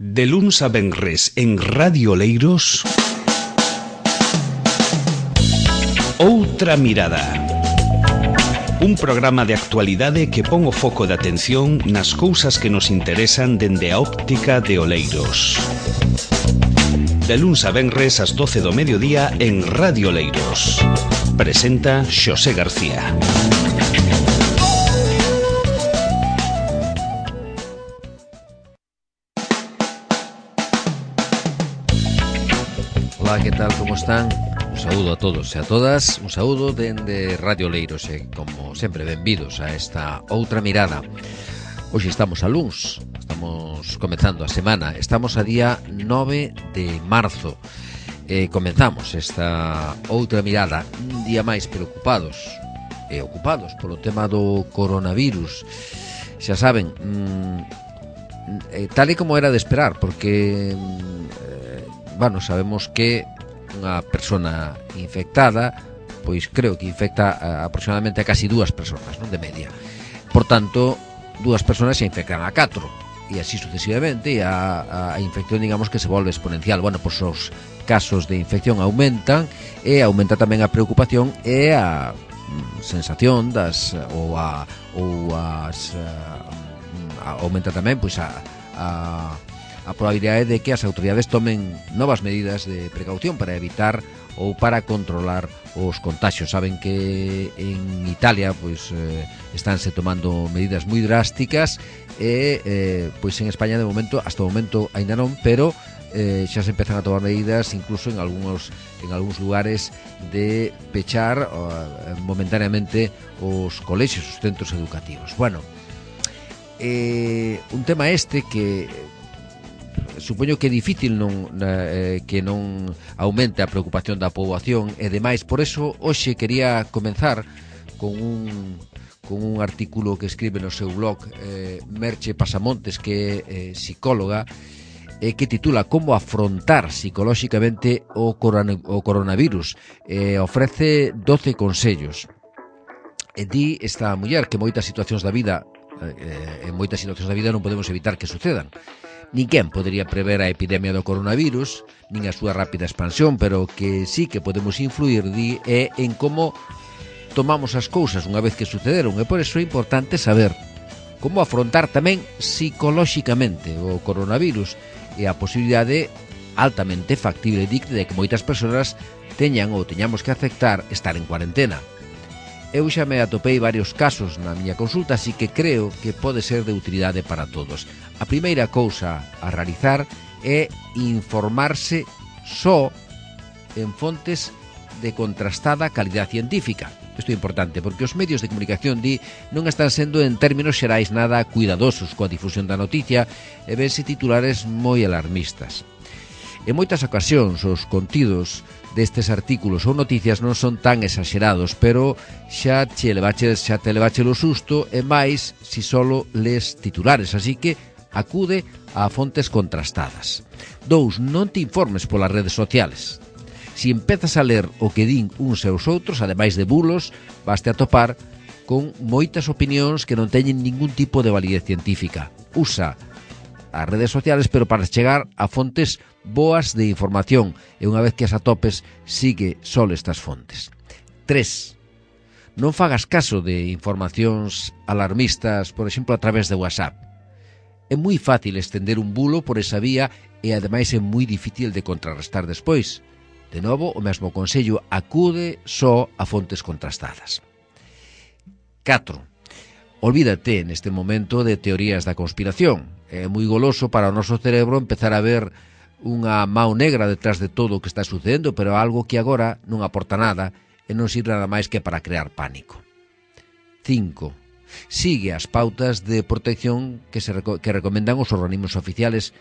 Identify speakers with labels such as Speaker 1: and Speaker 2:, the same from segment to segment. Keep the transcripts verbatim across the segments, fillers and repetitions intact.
Speaker 1: De luns a venres en Radio Oleiros, Outra Mirada. Un programa de actualidade que pon o foco de atención nas cousas que nos interesan dende a óptica de Oleiros. De luns a venres ás doce do mediodía en Radio Oleiros. Presenta Xosé García.
Speaker 2: Hola, que tal, como están? Un saúdo a todos e a todas, un saúdo dende Radio Oleiros e, como sempre, benvidos a esta Outra Mirada. Hoxe estamos a luns, estamos comezando a semana, estamos a día nove de marzo. E comenzamos esta Outra Mirada un día máis preocupados e ocupados polo tema do coronavirus. Xa saben, mmm, tal e como era de esperar, porque bueno, sabemos que unha persona infectada, pois creo que infecta a, aproximadamente a casi dúas persoas, non, de media. Por tanto, dúas persoas se infectan a catro, e así sucesivamente, e a, a infección, digamos, que se volve exponencial. Bueno, pois os casos de infección aumentan, e aumenta tamén a preocupación e a mm, sensación das, ou a, ou as, a, aumenta tamén, pois a, a a probabilidade de que as autoridades tomen novas medidas de precaución para evitar ou para controlar os contagios. Saben que en Italia pois eh, estánse tomando medidas moi drásticas e eh, pois en España de momento, hasta o momento aínda non, pero eh, xa se empezan a tomar medidas incluso en algúns en algúns lugares de pechar uh, momentáneamente os colexios, os centros educativos. Bueno, eh, un tema este que supoño que é difícil non, eh, que non aumente a preocupación da poboación e demais. Por eso hoxe quería comenzar con un, con un artículo que escribe no seu blog eh, Merche Pasamontes, que é eh, psicóloga, eh, que titula Como afrontar psicolóxicamente o, corona, o coronavirus. Eh, ofrece doce consellos. E di esta muller que moitas situacións da vida eh, en moitas situacións da vida non podemos evitar que sucedan. Ninguén podería prever a epidemia do coronavirus, nin a súa rápida expansión, pero que sí que podemos influir di, é en como tomamos as cousas unha vez que sucederon, e por iso é importante saber como afrontar tamén psicolóxicamente o coronavirus e a posibilidade altamente factible de que moitas persoas teñan ou teñamos que aceptar estar en cuarentena. Eu xa me atopei varios casos na miña consulta, así que creo que pode ser de utilidade para todos. A primeira cousa a realizar é informarse só en fontes de contrastada calidad científica. Isto é importante, porque os medios de comunicación di non están sendo en términos xerais nada cuidadosos coa difusión da noticia e vense titulares moi alarmistas. En moitas ocasións os contidos destes artículos ou noticias non son tan exagerados, pero xa che levache, xa te levache o susto, e máis si solo les titulares, así que acude a fontes contrastadas. Dous, non te informes polas redes sociales. Si empezas a ler o que din uns e os outros, ademais de bulos, vaste a topar con moitas opinións que non teñen ningún tipo de validez científica. Usa as redes sociales, pero para chegar a fontes boas de información, e unha vez que as atopes, sigue só estas fontes. Tres, non fagas caso de informacións alarmistas, por exemplo, a través de WhatsApp. É moi fácil estender un bulo por esa vía e ademais é moi difícil de contrarrestar despois. De novo, o mesmo consello, acude só a fontes contrastadas. Catro, olvídate neste momento de teorías da conspiración. É moi goloso para o noso cerebro empezar a ver unha mao negra detrás de todo o que está sucedendo, pero algo que agora non aporta nada e non sirve nada máis que para crear pánico. Cinco, sigue as pautas de protección que, se, que recomendan os organismos oficiales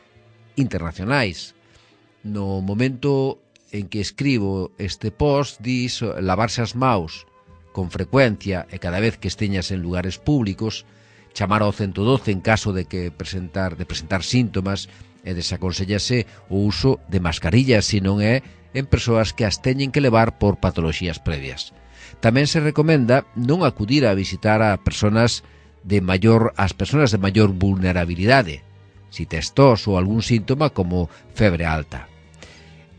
Speaker 2: internacionais. No momento en que escribo este post, dis lavarse as maus con frecuencia e cada vez que esteñas en lugares públicos, chamar ao ciento doce en caso de que presentar de presentar síntomas, e desaconsellase o uso de mascarillas se non é en persoas que as teñen que levar por patoloxías previas. Tamén se recomenda non acudir a visitar a persoas de maior as persoas de maior vulnerabilidade, si tes tos ou algún síntoma como febre alta.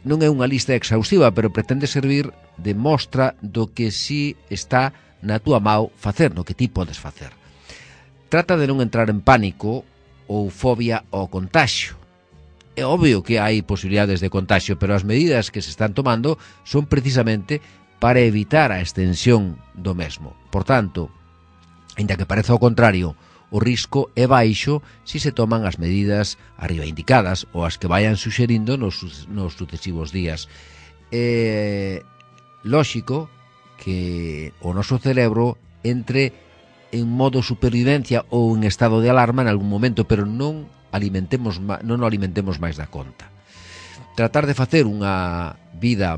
Speaker 2: Non é unha lista exhaustiva, pero pretende servir de mostra do que si está na túa mão facer, no que ti podes facer. Trata de non entrar en pánico ou fobia ao contaxio. É obvio que hai posibilidades de contaxio, pero as medidas que se están tomando son precisamente para evitar a extensión do mesmo. Por tanto, ainda que pareza o contrario, o risco é baixo se se toman as medidas arriba indicadas ou as que vayan suxerindo nos, nos sucesivos días. É lóxico que o noso cerebro entre en modo supervivencia ou en estado de alarma en algún momento, pero non alimentemos non o alimentemos máis da conta. Tratar de facer unha vida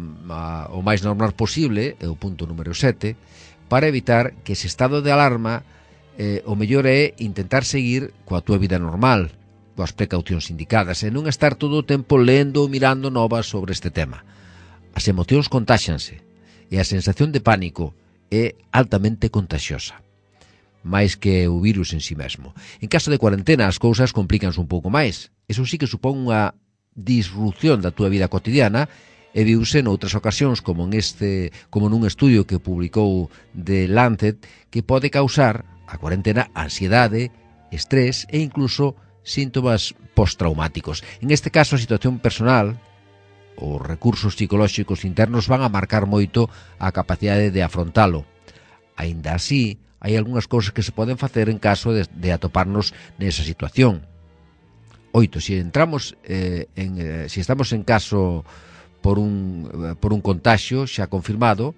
Speaker 2: o máis normal posible é o punto número sete, para evitar que ese estado de alarma eh, o mellor é intentar seguir coa túa vida normal, coas precaucións indicadas, e non estar todo o tempo lendo ou mirando novas sobre este tema. As emocións contáxanse e a sensación de pánico é altamente contaxiosa, máis que o virus en si mesmo. En caso de cuarentena as cousas complícanse un pouco máis. Eso sí que supón unha disrupción da túa vida cotidiana e viuse noutras ocasións como en este, como nun estudio que publicou The Lancet, que pode causar a cuarentena ansiedade, estrés e incluso síntomas postraumáticos. En este caso a situación personal, os recursos psicolóxicos internos van a marcar moito a capacidade de afrontalo. Aínda así, hai algunhas cousas que se poden facer en caso de, de atoparnos nesa situación. Oito, se entramos eh, en, eh, se estamos en caso por un, eh, por un contaxio xa confirmado,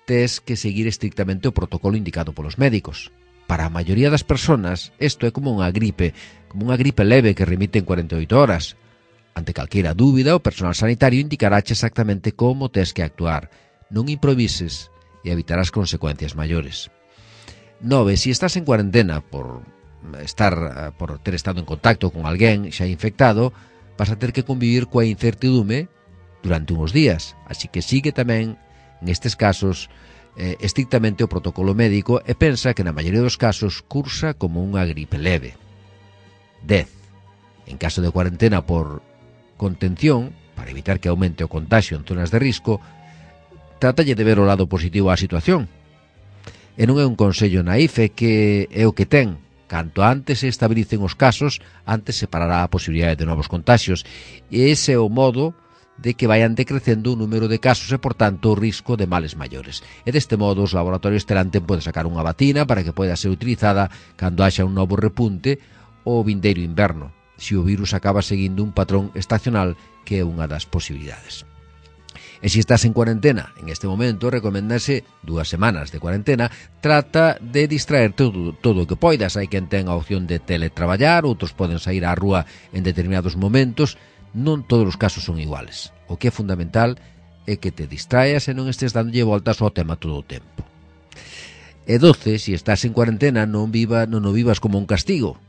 Speaker 2: tes que seguir estrictamente o protocolo indicado polos médicos. Para a maioría das persoas, isto é como unha gripe, como unha gripe leve que remite en cuarenta e oito horas. Ante calquera dúbida, o personal sanitario indicaráche exactamente como tes que actuar. Non improvises e evitarás consecuencias maiores. Nove, se estás en cuarentena por estar por ter estado en contacto con alguén xa infectado, vas a ter que convivir coa incertidume durante uns días, así que sigue tamén nestes casos eh, estrictamente o protocolo médico e pensa que na maioría dos casos cursa como unha gripe leve. Dez, en caso de cuarentena por contención, para evitar que aumente o contagio en zonas de risco, tratalle de ver o lado positivo á situación. E non é un consello naif, é que é o que ten. Canto antes se estabilicen os casos, antes se parará a posibilidade de novos contagios. E ese é o modo de que vayan decrecendo o número de casos e, por tanto, o risco de males maiores. E deste modo, os laboratorios terán tempo de sacar unha vacina para que poida ser utilizada cando haxa un novo repunte ou vindeiro inverno, se o virus acaba seguindo un patrón estacional, que é unha das posibilidades. E se estás en cuarentena, en este momento, recomendase dúas semanas de cuarentena. Trata de distraerte todo, todo o que poidas. Hai quen ten a opción de teletraballar, outros poden sair á rúa en determinados momentos. Non todos os casos son iguales. O que é fundamental é que te distraes e non estes dándolle voltas ao tema todo o tempo. E doce, se estás en cuarentena, non, viva, non o vivas como un castigo.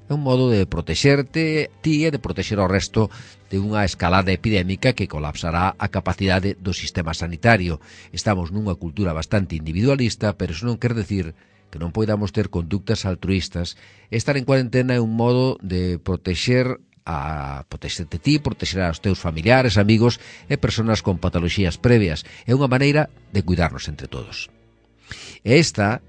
Speaker 2: É un modo de protexerte ti e de protexer ao resto de unha escalada epidémica que colapsará a capacidade do sistema sanitario. Estamos nunha cultura bastante individualista, pero iso non quer decir que non poidamos ter conductas altruistas. Estar en cuarentena é un modo de protexer a protexerte ti, protexer aos teus familiares, amigos e persoas con patoloxías previas. É unha maneira de cuidarnos entre todos. E esta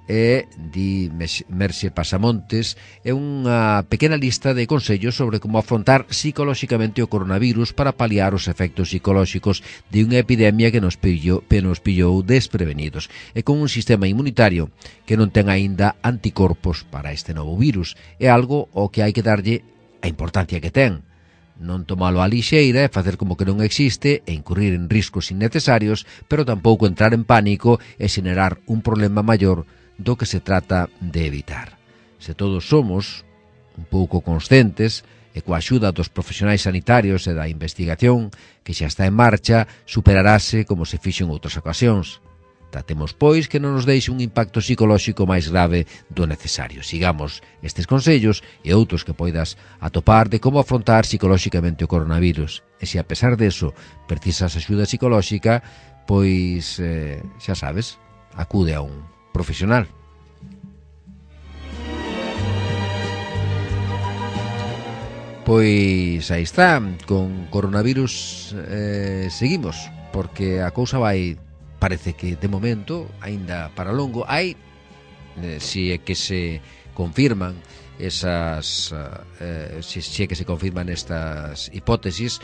Speaker 2: é, di Merxe Pasamontes, é unha pequena lista de consellos sobre como afrontar psicolóxicamente o coronavirus para paliar os efectos psicolóxicos de unha epidemia que nos pillou, que nos pillou desprevenidos e con un sistema inmunitario que non ten aínda anticorpos para este novo virus. É algo ao que hai que darlle a importancia que ten. Non tomalo á lixeira e facer como que non existe e incurrir en riscos innecesarios, pero tampouco entrar en pánico e xenerar un problema maior do que se trata de evitar. Se todos somos un pouco conscientes e coa axuda dos profesionais sanitarios e da investigación que xa está en marcha, superarase como se fixo en outras ocasións. Tratemos, pois, que non nos deixe un impacto psicolóxico máis grave do necesario. Sigamos estes consellos e outros que poidas atopar de como afrontar psicolóxicamente o coronavirus. E se a pesar deso precisas axuda psicolóxica, pois, eh, xa sabes, acude a un profesional. Pois aí está, con coronavirus eh, seguimos, porque a cousa vai, parece que de momento, aínda para longo. Hai, eh, si é que se confirman esas, eh, si, si é que se confirman estas hipótesis,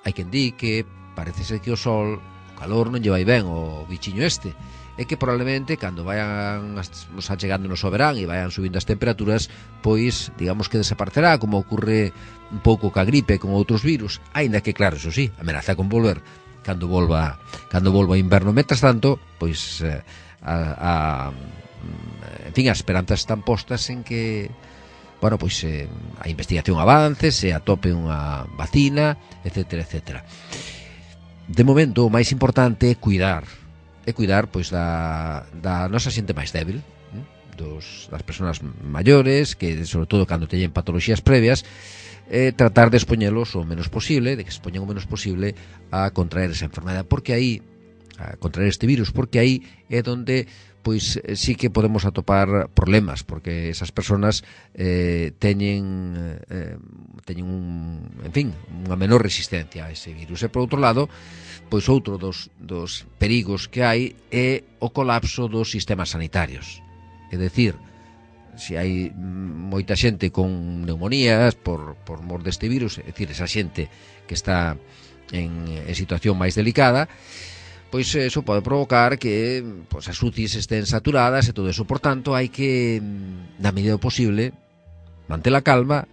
Speaker 2: hai quen di que parece ser que o sol, o calor non lle vai ben o bichiño este, é que probablemente cando vayan nos achegando no verán e vayan subindo as temperaturas, pois digamos que desaparecerá, como ocurre un pouco ca gripe con outros virus, aínda que claro, eso sí, amenaza con volver cando volva cando volva o inverno. Mentras tanto, pois a, a en fin, as esperanzas están postas en que, bueno, pois eh, a investigación avance, se atope unha vacina, etcétera, etcétera. De momento, o máis importante é cuidar é cuidar pois da, da nosa xente máis débil, dos, das persoas maiores, que sobre todo cando teñen patologías previas, eh, tratar de expoñelos o menos posible, de que se expoñen o menos posible a contraer esa enfermedade, porque aí, a contraer este virus, porque aí é donde pois sí que podemos atopar problemas, porque esas persoas eh, teñen eh, teñen un, en fin, unha menor resistencia a ese virus. E por outro lado, pois outro dos, dos perigos que hai é o colapso dos sistemas sanitarios. É dicir, se hai moita xente con neumonías por, por mor deste virus, é dicir, esa xente que está en, en situación máis delicada, pois eso pode provocar que pois, as U C Is estén saturadas e todo eso. Por tanto, hai que, na medida do posible, manter a calma,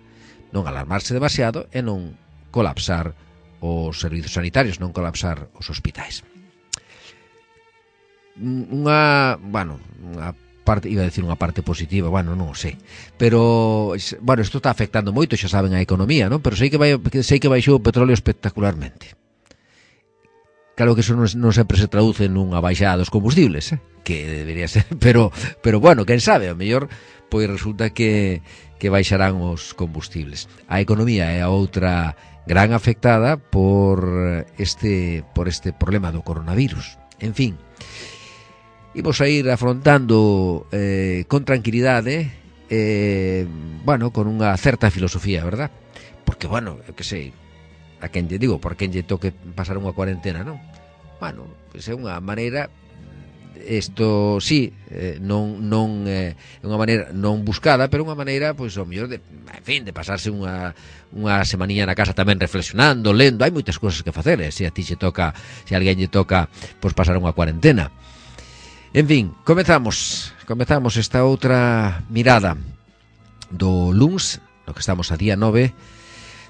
Speaker 2: non alarmarse demasiado e non colapsar os servizos sanitarios, non colapsar os hospitais. Unha, bueno, unha parte, iba a decir unha parte positiva, bueno, non o sei, pero, bueno, isto está afectando moito, xa saben, a economía, non? Pero sei que vai, sei que baixou o petróleo espectacularmente. Claro que eso non, non sempre se traduce nunha baixada dos combustibles, eh? Que debería ser, pero, pero bueno, quen sabe, a mellor, pois resulta que, que baixarán os combustibles. A economía é a outra gran afectada por este, por este problema do coronavirus. En fin, imos a ir afrontando eh, con tranquilidade, eh, bueno, con unha certa filosofía, verdad? Porque, bueno, eu que sei, a quen lle digo, por quen lle toque pasar unha cuarentena, non? Bueno, pois é unha maneira, isto sí, eh, non non é eh, unha maneira non buscada, pero unha maneira, pois, ao mellor de, en fin, de pasarse unha unha semaninha na casa tamén reflexionando, lendo, hai moitas cousas que facer, eh, se a ti lle toca, se a alguén lle toca, pois pasar unha cuarentena. En fin, comezamos, comezamos esta outra mirada do luns, no que estamos a día nove,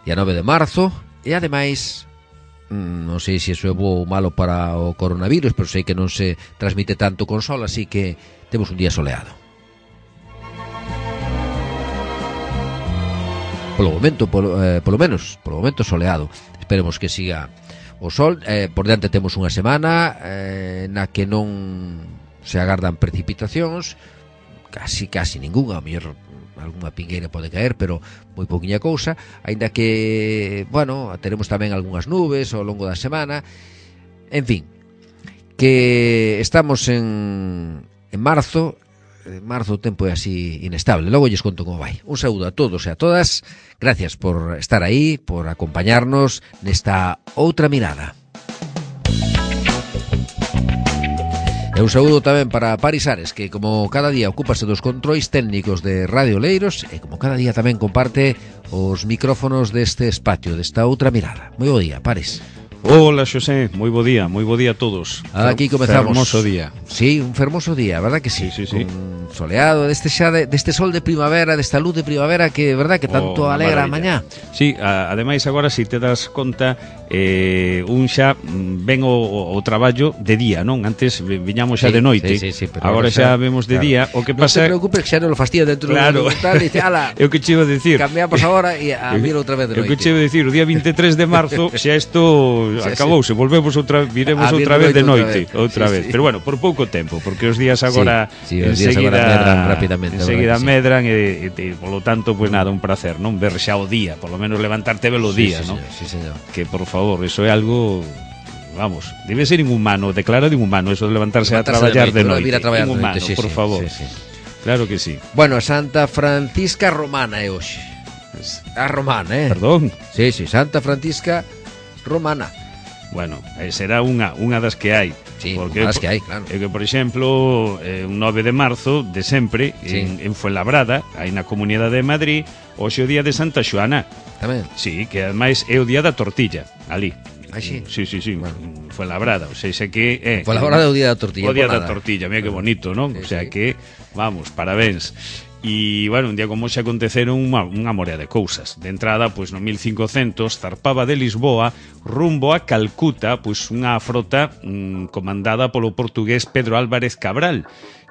Speaker 2: día nove de marzo. E ademais, non sei se iso é bo ou malo para o coronavirus, pero sei que non se transmite tanto con sol, así que temos un día soleado. Polo momento, polo, eh, polo menos, polo momento soleado. Esperemos que siga o sol. Eh, por diante temos unha semana eh, na que non se agardan precipitacións, casi, casi ningunha, ao mellor algunha pingueira pode caer, pero moi pouquiña cousa, aínda que, bueno, teremos tamén algunhas nubes ao longo da semana. En fin, que estamos en, en marzo. En marzo o tempo é así inestable, logo lles conto como vai. Un saúdo a todos e a todas, gracias por estar aí, por acompañarnos nesta outra mirada. E un saúdo tamén para Paris Ares, que como cada día ocúpase dos controis técnicos de Radio Oleiros e como cada día tamén comparte os micrófonos deste espacio, desta outra mirada. Moi bo día, Paris.
Speaker 3: Hola, Xosé, moi bo día, moi bo día a todos.
Speaker 2: Aquí comezamos.
Speaker 3: Fermoso día.
Speaker 2: Sí, un fermoso día, verdad que sí?
Speaker 3: Sí, sí, sí.
Speaker 2: Un soleado, deste xa de, deste sol de primavera, desta luz de primavera que, verdad, que tanto
Speaker 3: oh,
Speaker 2: alegra a mañá.
Speaker 3: Sí, a, ademais agora si te das conta, eh, un xa ven o, o traballo de día, non? Antes viñamos xa
Speaker 2: sí,
Speaker 3: de noite.
Speaker 2: Sí, sí, sí, pero
Speaker 3: agora xa, xa vemos de claro. día. O que pasa...
Speaker 2: Non te preocupes que xa non lo fastía dentro
Speaker 3: claro.
Speaker 2: do tal, dice, ala,
Speaker 3: eu que che iba a decir.
Speaker 2: Cambiamos agora e a vir outra vez de noite.
Speaker 3: Eu que che iba a decir, o día veintitrés de marzo xa isto acabouse, sí. volvemos outra, viremos ah, outra vez de noite, outra vez.
Speaker 2: Sí, sí.
Speaker 3: Pero bueno, por pouco tempo, porque os días agora
Speaker 2: sí, sí, os días agora medran rapidamente.
Speaker 3: Enseguida sí. medran e, e, e polo tanto, pois pues, nada, un placer, non ver xa o día, polo menos levantarte velo o día,
Speaker 2: sí, sí,
Speaker 3: non?
Speaker 2: Sí, señor.
Speaker 3: Que por favor, eso é algo, vamos, debe ser inhumano, declara de inhumano eso de levantarse, levantarse a traballar de noite,
Speaker 2: de noite.
Speaker 3: Inhumano,
Speaker 2: sí,
Speaker 3: por
Speaker 2: sí,
Speaker 3: favor.
Speaker 2: Sí, sí.
Speaker 3: Claro que sí.
Speaker 2: Bueno, Santa Francisca Romana é hoxe. A romana, eh?
Speaker 3: Perdón.
Speaker 2: Sí, sí, Santa Francisca Romana.
Speaker 3: Bueno, será unha, unha das que hai.
Speaker 2: Sí,
Speaker 3: porque,
Speaker 2: unha das que hai, claro.
Speaker 3: É que, por exemplo, eh, un nove de marzo de sempre, sí. en, en Fuenlabrada, aí na Comunidade de Madrid, hoxe o día de Santa Xoana.
Speaker 2: Tamén?
Speaker 3: Sí, que ademais é o día da tortilla, ali.
Speaker 2: Ah, sí?
Speaker 3: Sí, sí, sí,
Speaker 2: bueno.
Speaker 3: Fuenlabrada, o sea, sei que... Eh,
Speaker 2: Fuenlabrada é o día da tortilla.
Speaker 3: O día da tortilla, mira que bonito, non?
Speaker 2: Sí,
Speaker 3: o sea
Speaker 2: sí.
Speaker 3: que, vamos, parabéns. E, bueno, un día como xe aconteceron unha, unha morea de cousas. De entrada, pois no mil cincocentos zarpaba de Lisboa rumbo a Calcuta, pois unha frota mm, comandada polo portugués Pedro Álvarez Cabral,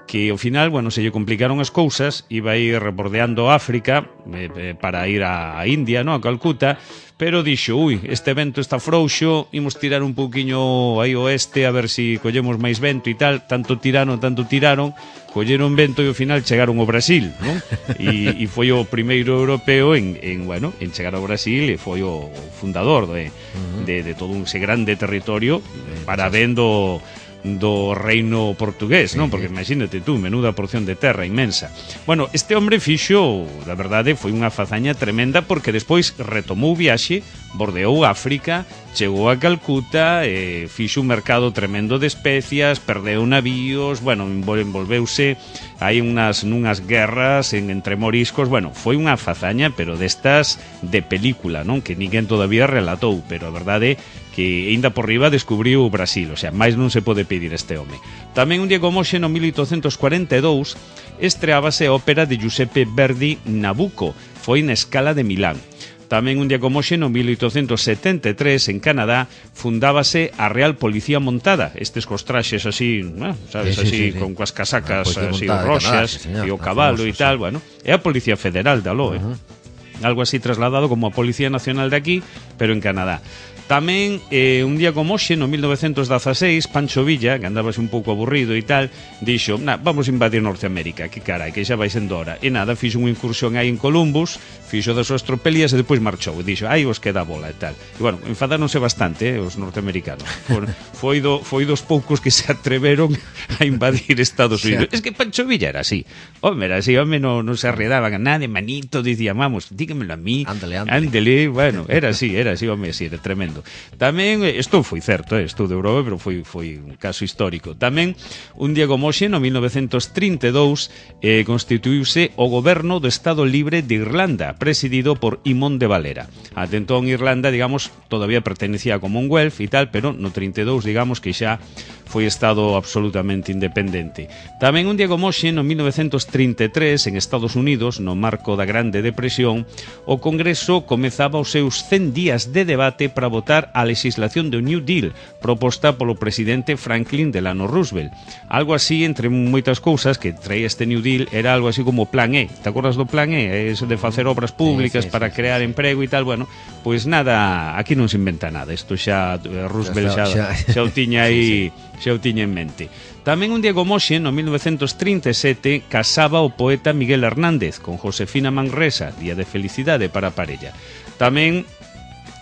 Speaker 3: que ao final, bueno, se lle complicaron as cousas, iba a ir rebordeando África eh, eh, para ir a, a India, no, a Calcuta, pero dixo, ui, este vento está frouxo, imos tirar un pouquiño aí oeste a ver se si collemos máis vento e tal, tanto tiraron, tanto tiraron, colleron vento e ao final chegaron ao Brasil, non? E, e foi o primeiro europeo en, en, bueno, en chegar ao Brasil e foi o fundador de, uh-huh. de, de todo ese grande territorio para vendo do reino portugués, non? Porque imagínate tú, menuda porción de terra inmensa. Bueno, este hombre fixo, da verdade, foi unha fazaña tremenda porque despois retomou o viaxe, bordeou África, chegou a Calcuta, eh, fixo un mercado tremendo de especias, perdeu navíos, bueno, envolveuse aí unhas, nunhas guerras en, entre moriscos, bueno, foi unha fazaña, pero destas de película, non? Que ninguén todavía relatou, pero a verdade que ainda por riba descubriu o Brasil, o sea, máis non se pode pedir este home. Tamén un día como hoxe, no mil oitocentos cuarenta e dous, estreábase a ópera de Giuseppe Verdi Nabucco, foi na Scala de Milán. Tamén un día como hoxe, no mil oitocentos setenta e tres, en Canadá, fundábase a Real Policía Montada, estes cos traxes así, bueno, sabes,
Speaker 2: sí, sí,
Speaker 3: así,
Speaker 2: sí, sí.
Speaker 3: con coas casacas así
Speaker 2: Canadá,
Speaker 3: roxas,
Speaker 2: sí,
Speaker 3: e o cabalo e tal, sí. Bueno, é a Policía Federal de aló, uh-huh. eh? Algo así trasladado como a Policía Nacional de aquí, pero en Canadá. Tamén, eh, un día como hoxe, no mil novecentos dezaseis, Pancho Villa, que andábase un pouco aburrido e tal, dixo, nah, vamos a invadir Norteamérica, que carai, que xa vai sendo hora. E nada, fixo unha incursión aí en Columbus, fixo das súas tropelías e depois marchou. E dixo, aí os queda a bola e tal. E, bueno, enfadáronse bastante, eh, os norteamericanos. Por, foi, do, foi dos poucos que se atreveron a invadir Estados Unidos. Es que Pancho Villa era así. Home, era así, home, non no se arredaban a nada, manito, dicía, vamos, dígamelo a mí.
Speaker 2: Ándale, ándale.
Speaker 3: Ándale, bueno, era así, era así, home, así, era tremendo. Tamén, isto foi certo, eh, isto de Europa, pero foi, foi un caso histórico. Tamén, un día como hoxe, no mil novecentos trinta e dous, eh, constituíuse o goberno do Estado Libre de Irlanda, presidido por Imón de Valera. Até entón, Irlanda, digamos, todavía pertenecía a Commonwealth e tal, pero no trinta e dous, digamos, que xa foi Estado absolutamente independente. Tamén un día como hoxe, no mil novecentos trinta e tres, en Estados Unidos, no marco da Grande Depresión, o Congreso comezaba os seus cen días de debate para votar a legislación do New Deal proposta polo presidente Franklin Delano Roosevelt. Algo así, entre moitas cousas que traía este New Deal, era algo así como Plan E. Te acordas do Plan E? Eso de facer obras públicas sí, sí, para sí, crear sí, emprego e tal. Bueno, pois nada, aquí non se inventa nada. Isto xa Roosevelt xa, xa, xa o tiña aí, sí, sí. xa o tiña en mente. Tamén un día como hoxe, no mil novecentos trinta e sete, casaba o poeta Miguel Hernández con Josefina Manresa, día de felicidade para a parella. Tamén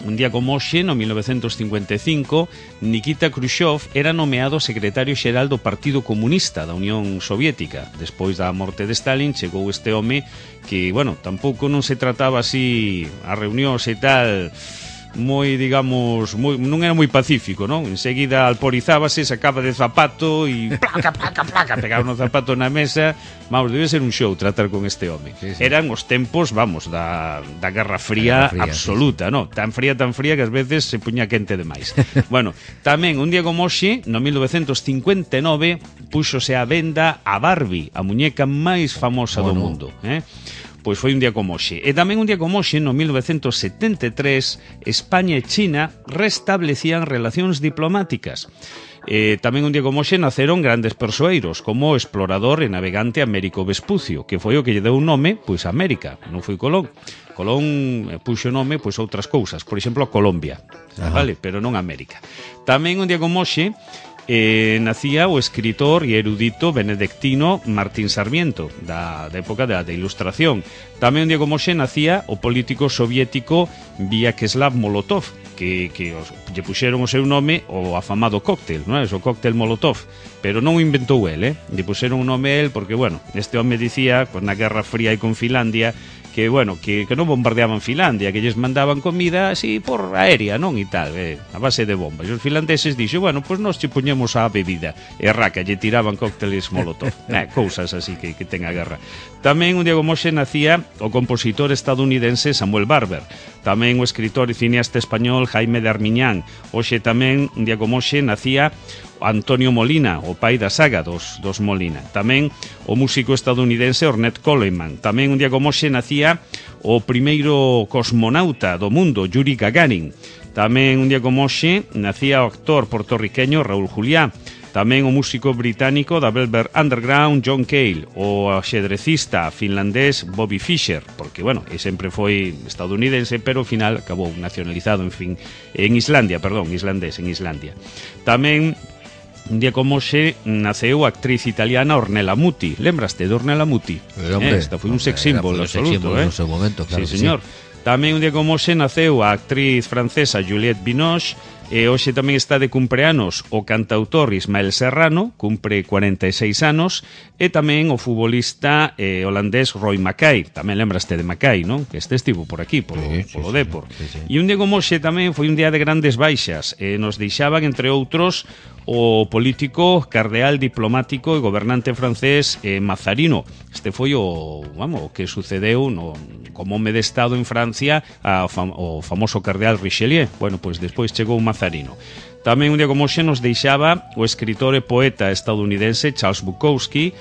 Speaker 3: un día como hoxe, no mil novecentos cincuenta e cinco, Nikita Khrushchev era nomeado secretario xeral do Partido Comunista da Unión Soviética. Despois da morte de Stalin, chegou este home que, bueno, tampouco non se trataba así a reunións e tal, moi, digamos, moi, non era moi pacífico, non? Enseguida alporizábase, sacaba de zapato e placa, placa, placa, pegaba no zapato na mesa. Vamos, debe ser un show tratar con este home. Sí, sí. Eran os tempos, vamos, da, da Guerra Fría, Guerra Fría absoluta, sí, sí. No? Tan fría, tan fría que ás veces se puña quente demais. Bueno, tamén un día como hoxe, no mil novecentos cincuenta e nove, púxose a venda a Barbie, a muñeca máis famosa oh, do no. mundo, eh? Pois foi un día como hoxe. E tamén un día como hoxe, no mil novecentos setenta e tres, España e China restablecían relacións diplomáticas. Eh, tamén un día como hoxe naceron grandes persoeiros, como o explorador e navegante Américo Vespucio, que foi o que lle deu un nome, pois, a América, non foi Colón. Colón puxo nome, pois, outras cousas, por exemplo, a Colombia, vale? Pero non a América. Tamén un día como hoxe, Eh, nacía o escritor e erudito benedictino Martín Sarmiento, da, da época da, da Ilustración. Tamén un día como hoxe nacía o político soviético Vyacheslav Molotov, que, que os, lle puxeron o seu nome o afamado cóctel, non é? O cóctel Molotov, pero non o inventou el, eh? Lle puxeron o nome el porque, bueno, este home dicía, pues, na Guerra Fría e con Finlandia, que, bueno, que, que non bombardeaban Finlandia, que lles mandaban comida así por aérea, non, e tal, eh, a base de bombas. E os finlandeses dixo, bueno, pois pues nós che poñemos a bebida, e raca, lle tiraban cócteles molotov, eh, cousas así que, que ten a guerra. Tamén un día como hoxe nacía o compositor estadounidense Samuel Barber, tamén o escritor e cineasta español Jaime de Armiñán. Hoxe tamén, un día como hoxe, nacía Antonio Molina, o pai da saga dos, dos Molina. Tamén o músico estadounidense Ornette Coleman. Tamén un día como hoxe nacía o primeiro cosmonauta do mundo, Yuri Gagarin. Tamén un día como hoxe nacía o actor portorriqueño Raúl Juliá. Tamén o músico británico da Velvet Underground John Cale, o xedrecista finlandés Bobby Fischer, porque, bueno, e sempre foi estadounidense, pero ao final acabou nacionalizado, en fin, en Islandia, perdón, islandés, en Islandia. Tamén un día como hoxe naceu a actriz italiana Ornella Muti. Lembraste de Ornella Muti?
Speaker 2: Eh, hombre,
Speaker 3: eh, esta foi un sex symbol absoluto, eh?
Speaker 2: No seu momento, claro.
Speaker 3: Sí, señor. Sí. Tamén un día como hoxe naceu a actriz francesa Juliette Binoche. E hoxe tamén está de cumpleanos o cantautor Ismael Serrano, cumpre cuarenta e seis anos, e tamén o futbolista eh, holandés Roy Mackay. Tamén lembraste de Mackay, non? Que este estivo por aquí, polo, sí, sí, polo sí, Depor. Sí, sí. E un día como hoxe tamén foi un día de grandes baixas. Eh, nos deixaban, entre outros, o político, cardeal diplomático e gobernante francés eh, Mazarino. Este foi o, vamos, o que sucedeu no como home de Estado en Francia a, fam, o famoso cardeal Richelieu. Bueno, pois despois chegou Mazarino. Tamén un día como hoxe nos deixaba o escritor e poeta estadounidense Charles Bukowski.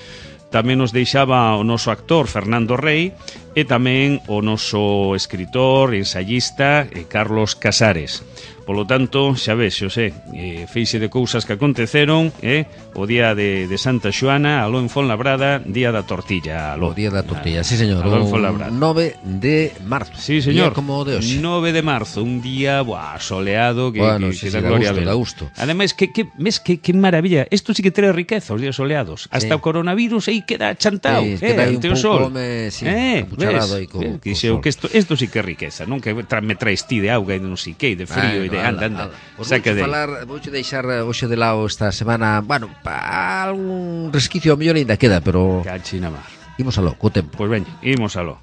Speaker 3: Tamén nos deixaba o noso actor Fernando Rey e tamén o noso escritor e ensayista eh, Carlos Casares. Polo tanto, xa ves, Xosé, eh, feixe de cousas que aconteceron, eh, o día de, de Santa Xoana, aló en Fonlabrada, día da tortilla, aló.
Speaker 2: O día da tortilla, sí, señor.
Speaker 3: Aló en Fonlabrada.
Speaker 2: nove de marzo.
Speaker 3: Sí, señor.
Speaker 2: Día como de hoxe.
Speaker 3: nove de marzo, un día, buah, soleado, que,
Speaker 2: bueno,
Speaker 3: que,
Speaker 2: sí,
Speaker 3: que
Speaker 2: sí,
Speaker 3: da gloria
Speaker 2: gusto,
Speaker 3: a ver.
Speaker 2: da gusto.
Speaker 3: Ademais, que, que, mes, que, que maravilla. Isto sí que trae riqueza, os días soleados. Hasta
Speaker 2: sí.
Speaker 3: O coronavirus aí queda chantao,
Speaker 2: sí,
Speaker 3: eh,
Speaker 2: queda aí un
Speaker 3: ante o
Speaker 2: pouco,
Speaker 3: sol.
Speaker 2: Me, sí,
Speaker 3: eh,
Speaker 2: pucharado aí co,
Speaker 3: eh,
Speaker 2: co
Speaker 3: Quixeu
Speaker 2: sol.
Speaker 3: que isto, isto sí que é riqueza, non? Que tra, me traes ti de auga e de non sei que, de frío e de anda, anda.
Speaker 2: Pues vouche falar, vouche deixar hoxe de lado esta semana, bueno, pa algún resquicio a mellor ainda queda, pero
Speaker 3: Cachina mar.
Speaker 2: Imos aló, co tempo.
Speaker 3: Pois veña, imos aló.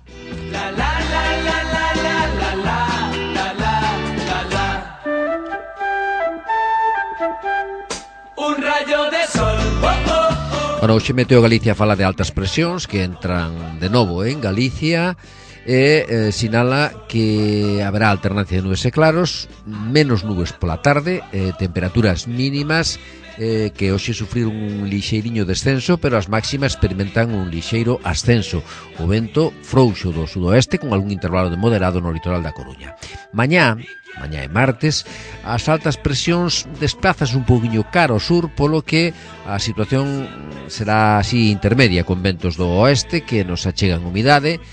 Speaker 3: La la la la la la la la la la la. Un rayo de sol. Oh, oh, oh.
Speaker 2: Bueno, hoxe Meteo Galicia fala de altas presións que entran de novo en Galicia. E eh, sinala que haberá alternancia de nubes e claros, menos nubes pola tarde, eh, temperaturas mínimas eh, que hoxe sufrir un lixeiriño descenso, pero as máximas experimentan un lixeiro ascenso. O vento frouxo do sudoeste con algún intervalo de moderado no litoral da Coruña. Mañá, mañá e martes, as altas presións desplazas un pouquiño cara ao sur, polo que a situación será así intermedia, con ventos do oeste que nos achegan humidade.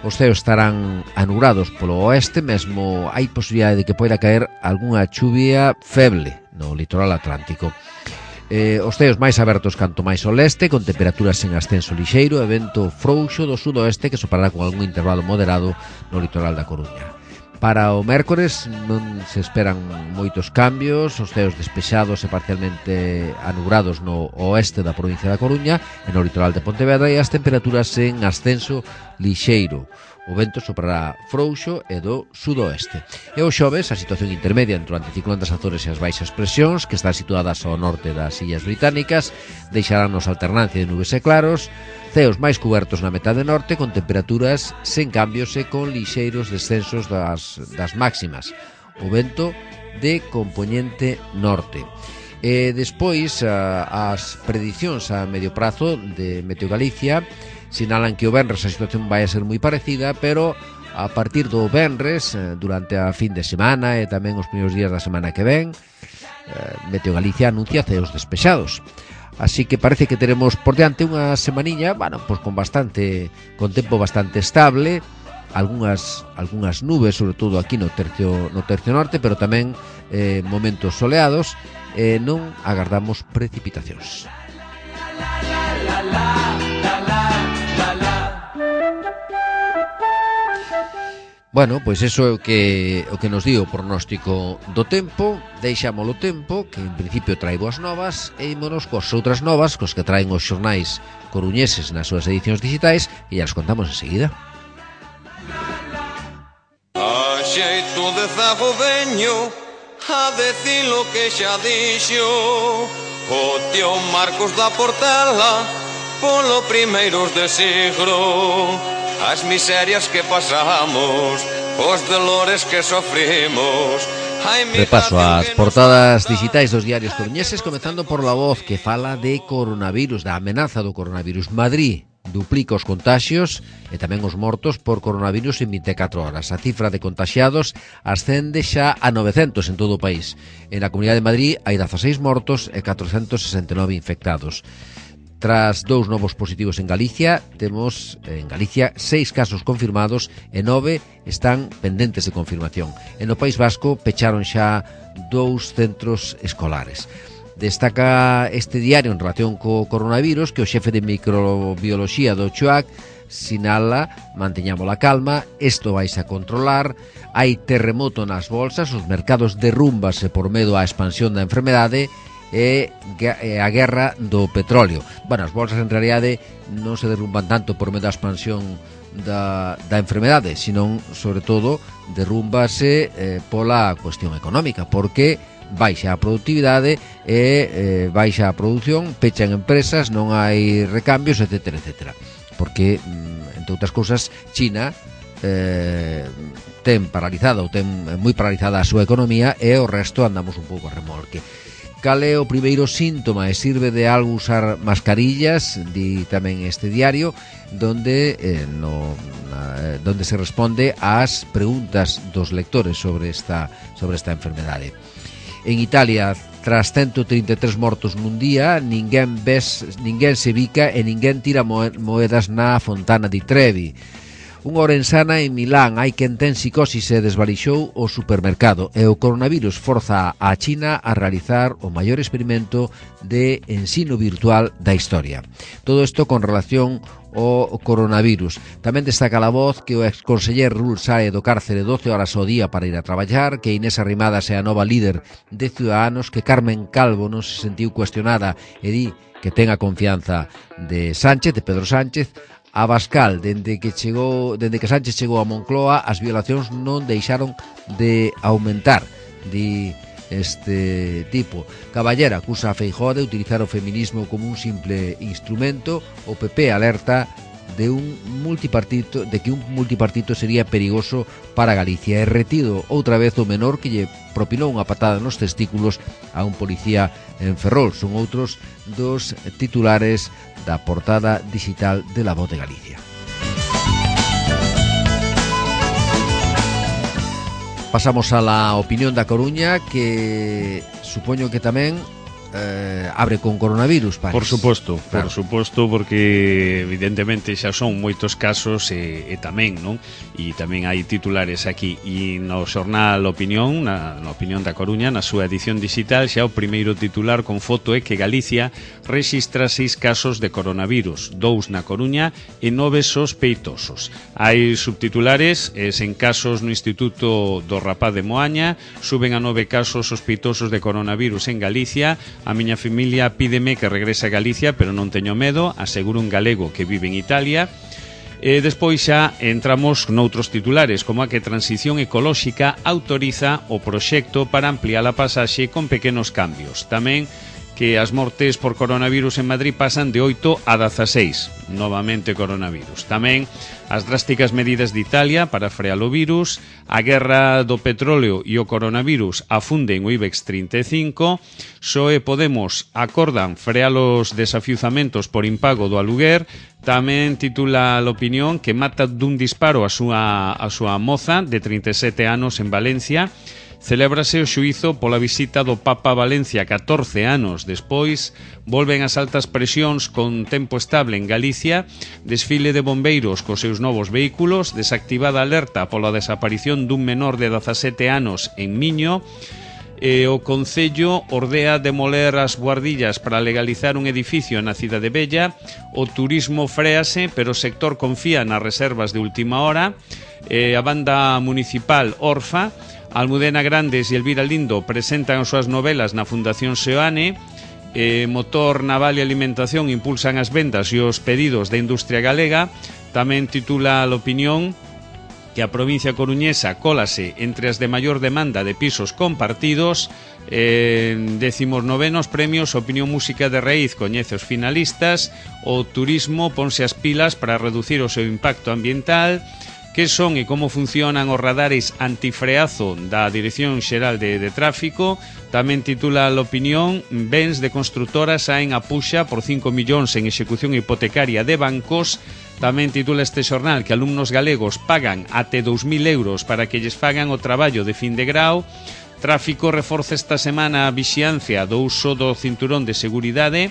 Speaker 2: Os ceos estarán anubrados polo oeste, mesmo hai posibilidade de que poida caer algunha chuvia feble no litoral atlántico. Eh, os ceos máis abertos canto máis ao leste, con temperaturas en ascenso lixeiro e vento frouxo do sudoeste que sopará con algún intervalo moderado no litoral da Coruña. Para o mércores non se esperan moitos cambios, os ceos despexados e parcialmente anubrados no oeste da provincia da Coruña e no litoral de Pontevedra e as temperaturas en ascenso lixeiro. O vento soprará frouxo e do sudoeste. E o xoves, a situación intermedia entre o anticiclón das Azores e as baixas presións, que están situadas ao norte das Illas Británicas, deixaránnos alternancia de nubes e claros, ceos máis cubertos na metade norte, con temperaturas sen cambios e con lixeiros descensos das, das máximas. O vento de compoñente norte. E despois, a, as predicións a medio prazo de Meteo Galicia sinalan que o venres a situación vai a ser moi parecida, pero a partir do venres, durante a fin de semana e tamén os primeiros días da semana que ven, Meteo Galicia anuncia ceos despexados. Así que parece que teremos por diante unha semaniña, bueno, pues con bastante, con tempo bastante estable, algunhas algunhas nubes, sobre todo aquí no tercio no tercio norte, pero tamén eh, momentos soleados, e eh, non agardamos precipitacións. Bueno, pois iso é o que o que nos di o pronóstico do tempo. Deixámolo tempo, que en principio trae boas novas, e ímonos coas outras novas, cos que traen os xornais coruñeses nas súas edicións digitais, e ya as contamos enseguida.
Speaker 4: xeito de zago veño a decir lo que xa dixo o tío Marcos da Portela polo primeiros de siglo. As miserias que pasamos, os dolores que sofrimos.
Speaker 2: Repaso ás portadas digitais dos diarios coruñeses, comezando por La Voz, que fala de coronavirus, da amenaza do coronavirus. Madrid duplica os contaxios e tamén os mortos por coronavirus en vinte e catro horas. A cifra de contaxiados ascende xa a novecentos en todo o país. En a Comunidade de Madrid hai dezaseis mortos e catrocentos sesenta e nove infectados. Tras dous novos positivos en Galicia, temos en Galicia seis casos confirmados e nove están pendentes de confirmación. En o País Vasco pecharon xa dous centros escolares. Destaca este diario en relación co coronavirus que o xefe de microbioloxía do CHUAC sinala: manteñamos a calma, isto vais a controlar, hai terremoto nas bolsas, os mercados derrúmbase por medo á expansión da enfermedade e a guerra do petróleo. Bueno, as bolsas en realidade non se derrumban tanto por medo da expansión da, da enfermedade, sino, sobre todo, derrúmbase eh, pola cuestión económica, porque baixa a productividade e eh, baixa a produción, pechan empresas, non hai recambios, etcétera, etcétera. Porque, entre outras cousas, China eh, ten paralizada ou ten moi paralizada a súa economía e o resto andamos un pouco a remolque. Cal é o primeiro síntoma? E sirve de algo usar mascarillas, di tamén este diario, donde eh, no, na, donde se responde ás preguntas dos lectores sobre esta, sobre esta enfermedade. En Italia, tras ciento trinta e tres mortos nun día, ninguén ves, ninguén se bica e ninguén tira moedas na Fontana di Trevi. Unha orensana en Milán, hai quen ten psicosis e desvalixou o supermercado, e o coronavirus forza a China a realizar o maior experimento de ensino virtual da historia. Todo isto con relación ao coronavirus. Tamén destaca La Voz que o exconseller Rull sae do cárcere doce horas ao día para ir a traballar, que Inés Arrimadas é a nova líder de Ciudadanos, que Carmen Calvo non se sentiu cuestionada e di que ten a confianza de Sánchez, de Pedro Sánchez. A Bascal, dende que chegou, dende que Sánchez chegou a Moncloa, as violacións non deixaron de aumentar, di este tipo. Caballera acusa a Feijóo de utilizar o feminismo como un simple instrumento. O P P alerta de un multipartito, de que un multipartito sería perigoso para Galicia. E retido outra vez o menor que lle propinou unha patada nos testículos a un policía en Ferrol. Son outros dos titulares da portada digital de La Voz de Galicia. Pasamos a la opinión da Coruña, que supoño que tamén eh, abre con coronavirus, Paris.
Speaker 3: Por suposto,
Speaker 2: claro.
Speaker 3: por suposto, porque evidentemente xa son moitos casos e, e tamén, non? E tamén hai titulares aquí. E no xornal Opinión, na, na Opinión da Coruña, na súa edición digital, xa o primeiro titular con foto é que Galicia rexistra seis casos de coronavirus, dous na Coruña e nove sospeitosos. Hai subtitulares, e sen casos no Instituto do Rapaz de Moaña, suben a nove casos sospeitosos de coronavirus en Galicia. A miña familia pídeme que regrese a Galicia, pero non teño medo, asegura un galego que vive en Italia. E despois xa entramos noutros titulares, como a que Transición Ecolóxica autoriza o proxecto para ampliar a pasaxe con pequenos cambios. Tamén que as mortes por coronavirus en Madrid pasan de oito a dezaseis, novamente coronavirus. Tamén as drásticas medidas de Italia para frear o virus, a guerra do petróleo e o coronavirus afunden o IBEX trinta e cinco, P S O E e Podemos acordan frear os desafiuzamentos por impago do aluguer. Tamén titula a Opinión que mata dun disparo a súa, a súa moza de trinta e sete anos en Valencia. Celébrase o xuízo pola visita do Papa a Valencia catorce anos despois. Volven as altas presións con tempo estable en Galicia. Desfile de bombeiros cos seus novos vehículos. Desactivada alerta pola desaparición dun menor de dezasete anos en Miño. E o Concello ordea demoler as guardillas para legalizar un edificio na Cidade Bella. O turismo fréase, pero o sector confía nas reservas de última hora. E a banda municipal Orfa, Almudena Grandes e Elvira Lindo presentan as súas novelas na Fundación Seoane. eh, Motor Naval e Alimentación impulsan as vendas e os pedidos da industria galega. Tamén titula a Opinión que a provincia coruñesa cólase entre as de maior demanda de pisos compartidos. Eh, decimos novenos premios Opinión Música de Raíz coñece os finalistas. O turismo ponse as pilas para reducir o seu impacto ambiental. Que son e como funcionan os radares antifreazo da Dirección Xeral de, de Tráfico. Tamén titula a opinión: bens de constructoras saen a puxa por cinco millóns en execución hipotecaria de bancos. Tamén titula este xornal que alumnos galegos pagan até dous mil euros para que lles fagan o traballo de fin de grau. Tráfico reforza esta semana a vixiancia do uso do cinturón de seguridade.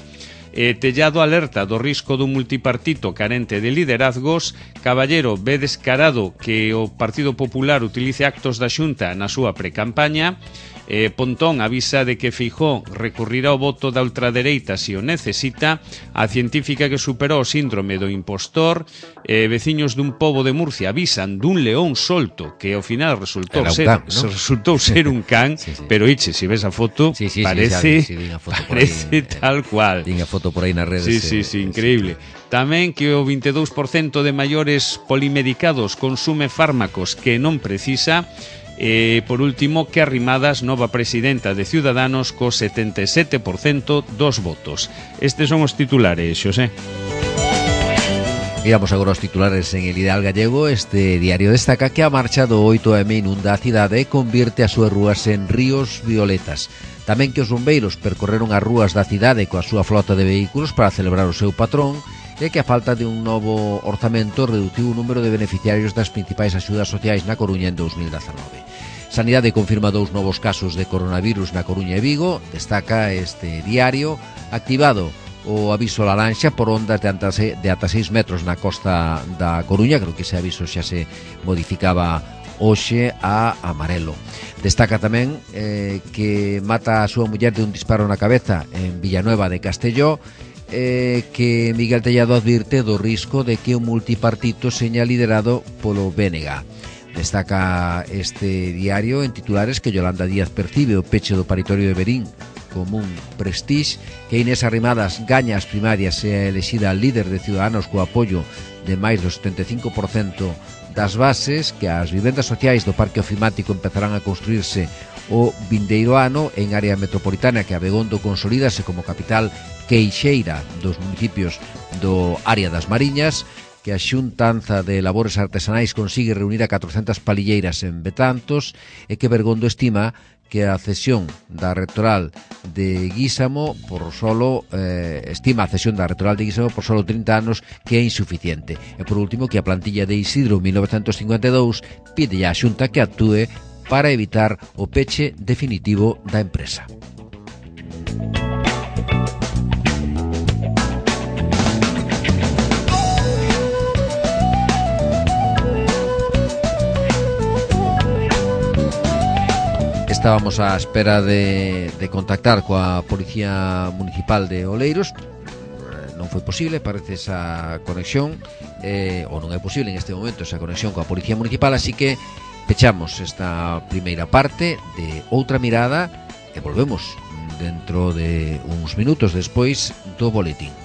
Speaker 3: Eh, Tellado alerta do risco dun multipartito carente de liderazgos. Caballero ve descarado que o Partido Popular utilice actos da Xunta na súa precampaña. Eh, Pontón avisa de que Feijóo recurrirá ao voto da ultradereita se o necesita. A científica que superou o síndrome do impostor. eh, Veciños dun pobo de Murcia avisan dun león solto que ao final resultou ser,
Speaker 2: can, ¿no?
Speaker 3: resultou ser un can. sí, sí. Pero iche, se ves a foto,
Speaker 2: sí, sí,
Speaker 3: parece,
Speaker 2: sí, sí, foto
Speaker 3: parece
Speaker 2: ahí,
Speaker 3: tal cual.
Speaker 2: Tiña foto por aí nas redes.
Speaker 3: Sí, sí, sí, increíble. Tamén que o vinte e dous por cento de maiores polimedicados consume fármacos que non precisa. E, por último, que Arrimadas, nova presidenta de Ciudadanos, co setenta e sete por cento dos votos. Estes son os titulares, Xosé.
Speaker 2: Miramos agora os titulares en El Ideal Gallego. Este diario destaca que a marcha do oito eme inunda a cidade e convierte as súas rúas en ríos violetas. Tamén que os bombeiros percorreron as rúas da cidade coa súa flota de vehículos para celebrar o seu patrón, e que a falta de un novo orzamento reduciu o número de beneficiarios das principais axudas sociais na Coruña en dous mil dezanove. Sanidade confirma dous novos casos de coronavirus na Coruña e Vigo. Destaca este diario: activado o aviso laranxa por ondas de ata seis metros na costa da Coruña. Creo que ese aviso xa se modificaba hoxe a amarelo. Destaca tamén eh, que mata a súa muller de un disparo na cabeza en Villanueva de Castelló. Eh, que Miguel Tellado advirte do risco de que o multipartito seña liderado polo B N G. Destaca este diario en titulares que Yolanda Díaz percibe o peche do paritorio de Verín como un prestige, que Inés Arrimadas gaña as primarias e é elexida líder de Ciudadanos co apoio de máis do setenta e cinco por cento das bases, que as vivendas sociais do Parque Ofimático empezarán a construirse o vindeiro ano en área metropolitana, que Abegondo consolídase como capital queixeira dos municipios do área das Mariñas, que a Xuntanza de Labores Artesanais consigue reunir a catrocentas palilleiras en Betantos, e que Bergondo estima que a cesión da rectoral de Guísamo por solo eh, estima a cesión da rectoral de Guísamo por solo trinta anos, que é insuficiente. E por último, que a plantilla de Isidro mil novecentos cincuenta e dous pide a Xunta que actúe para evitar o peche definitivo da empresa. Estábamos á espera de, de contactar coa Policía Municipal de Oleiros. Non foi posible, parece esa conexión, eh, ou non é posible en este momento esa conexión coa Policía Municipal, así que pechamos esta primeira parte de Outra Mirada e volvemos dentro de uns minutos despois do boletín.